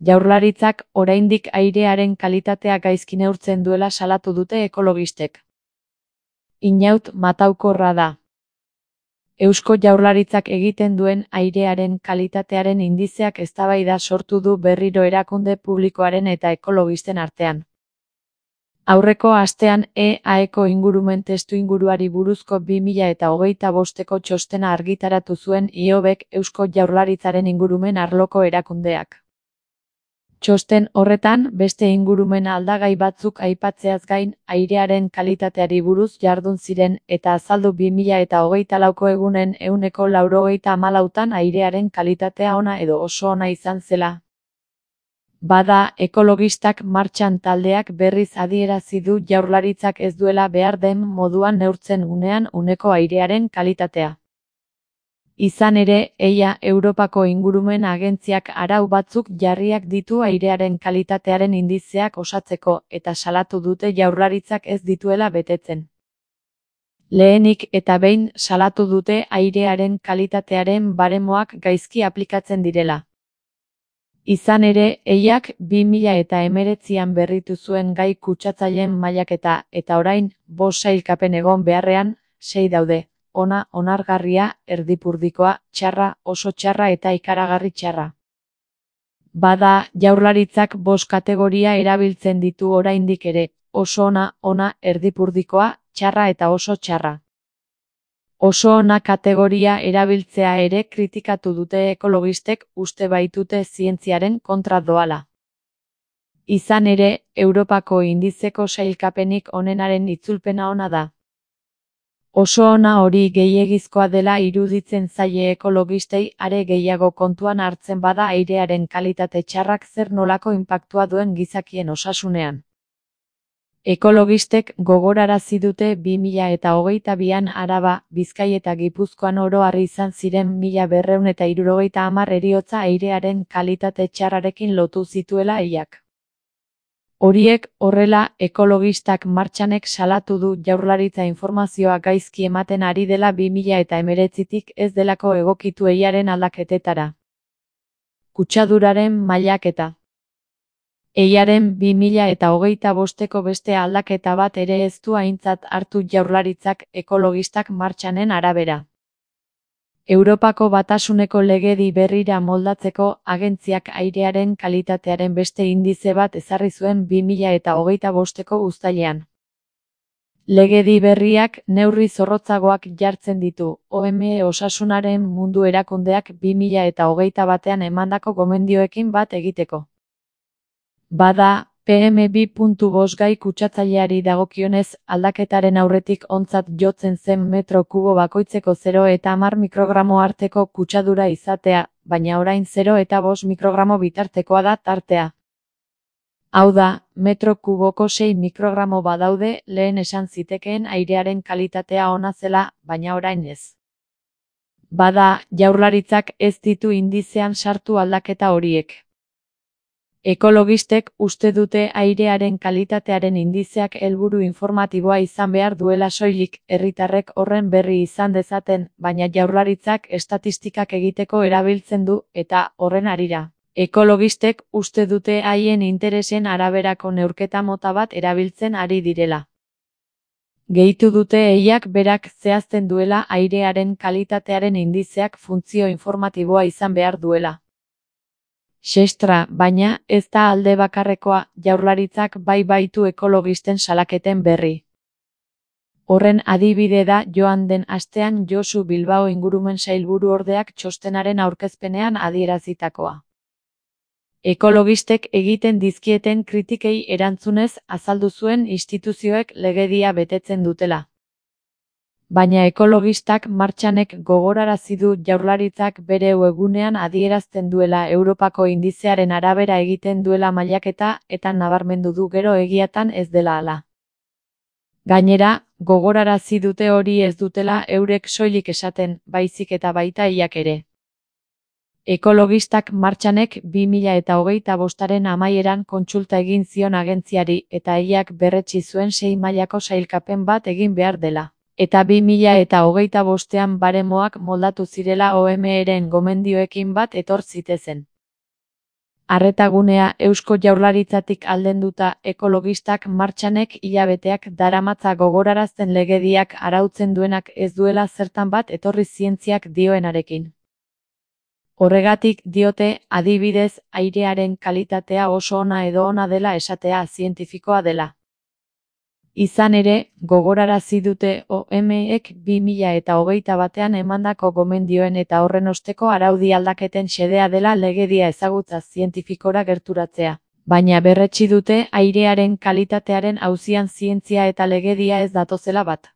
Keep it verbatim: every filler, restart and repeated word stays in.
Jaurlaritzak oraindik airearen kalitatea gaizki neurtzen duela salatu dute ekologistek. Inaut mataukorra da. Eusko Jaurlaritzak egiten duen airearen kalitatearen indizeak eztabaida sortu du berriro erakunde publikoaren eta ekologisten artean. Aurreko astean E A-eko ingurumen testuinguruari buruzko bi mila eta hogeita bosteko txostena argitaratu zuen Ihobek Eusko Jaurlaritzaren ingurumen arloko erakundeak. Txosten horretan, beste ingurumen aldagai batzuk aipatzeaz gain, airearen kalitateari buruz jardun ziren eta azaldu bi mila eta hogeita lauko egunen ehuneko laurogeita hamalautan airearen kalitatea ona edo oso ona izan zela. Bada, ekologistak martxan taldeak berriz adierazi du Jaurlaritzak ez duela behar den moduan neurtzen unean uneko airearen kalitatea. Izan ere, eia Europako ingurumen agentziak arau batzuk jarriak ditu airearen kalitatearen indizeak osatzeko eta salatu dute Jaurlaritzak ez dituela betetzen. Lehenik eta behin salatu dute airearen kalitatearen baremoak gaizki aplikatzen direla. Izan ere, eiak bi mila eta hemeretzian berritu zuen gai kutsatzaileen mailaketa eta orain, bost sailkapen egon beharrean, sei daude. Ona, onargarria, erdipurdikoa, txarra, oso txarra eta ikaragarri txarra. Bada, Jaurlaritzak bost kategoria erabiltzen ditu oraindik ere, oso ona, ona, erdipurdikoa, txarra eta oso txarra. Oso ona kategoria erabiltzea ere kritikatu dute ekologistek uste baitute zientziaren kontra doala. Izan ere, Europako indizeko sailkapenik onenaren itzulpena ona da. Oso ona hori gehiegizkoa dela iruditzen zaie ekologistei are gehiago kontuan hartzen bada airearen kalitate txarrak zer nolako inpaktua duen gizakien osasunean. Ekologistek gogorarazi dute bi mila eta hogeita bian Araba, Bizkai eta Gipuzkoan oro har izan ziren mila berrehun eta hirurogeita hamar heriotza airearen kalitate txarrarekin lotu zituela eiak. Horiek horrela, ekologistak martxanek salatu du Jaurlaritza informazioa gaizki ematen ari dela bi mila eta hemeretzitik ez delako egokitu eiaren aldaketetara. Kutsaduraren mailaketa. Eiaren bi mila eta hogeita bosteko beste aldaketa bat ere ez du aintzat hartu Jaurlaritzak ekologistak martxanen arabera. Europako Batasuneko legedi berrira moldatzeko agentziak airearen kalitatearen beste indize bat ezarri zuen bi mila eta hogeita bosteko uztailean. Legedi berriak neurri zorrotzagoak jartzen ditu, O M S Osasunaren Mundu Erakundeak bi mila eta hogeita batean emandako gomendioekin bat egiteko. Bada, P M bi puntu bost gai kutsatzaileari dagokionez, aldaketaren aurretik ontzat jotzen zen metro kubo bakoitzeko zero eta hamar mikrogramo arteko kutsadura izatea, baina orain zero eta bost mikrogramo bitartekoa da tartea. Hau da, metro kuboko sei mikrogramo badaude, lehen esan zitekeen airearen kalitatea ona zela, baina orain ez. Bada, Jaurlaritzak ez ditu indizean sartu aldaketa horiek. Ekologistek uste dute airearen kalitatearen indizeak helburu informatiboa izan behar duela soilik, herritarrek horren berri izan dezaten, baina Jaurlaritzak estatistikak egiteko erabiltzen du, eta horren harira. Ekologistek uste dute haien interesen araberako neurketa mota bat erabiltzen ari direla. Gehitu dute eiak berak zehazten duela airearen kalitatearen indizeak funtzio informatiboa izan behar duela. Xestra, baina, ez da alde bakarrekoa, Jaurlaritzak bai baitu ekologisten salaketen berri. Horren adibide da joan den astean Josu Bilbao ingurumen sailburu ordeak txostenaren aurkezpenean adierazitakoa. Ekologistek egiten dizkieten kritikei erantzunez azaldu zuen instituzioek legedia betetzen dutela. Baina ekologistak martxanek gogorarazi du Jaurlaritzak bere webgunean adierazten duela Europako indizearen arabera egiten duela mailaketa eta nabarmendu du gero egiatan ez dela hala. Gainera, gogorarazi dute hori ez dutela eurek soilik esaten, baizik eta baita eiak ere. Ekologistak martxanek bi mila eta hogeita bostaren amaieran kontsulta egin zion agentziari eta eiak berretsi zuen sei mailako sailkapen bat egin behar dela. Eta bi mila eta hogeita bostean baremoak moldatu zirela O M S-ren gomendioekin bat etor zitezen. Arretagunea Eusko Jaurlaritzatik aldenduta ekologistak martxanek hilabeteak daramatza gogorarazten legediak arautzen duenak ez duela zertan bat etorri zientziak dioenarekin. Horregatik diote, adibidez, airearen kalitatea oso ona edo ona dela esatea zientifikoa dela. Izan ere, gogorarazi dute O M ek bi mila eta hogeita batean emandako gomendioen eta horren osteko araudi aldaketen xedea dela legedia ezagutza zientifikora gerturatzea. Baina berretsi dute airearen kalitatearen auzian zientzia eta legedia ez datozela bat.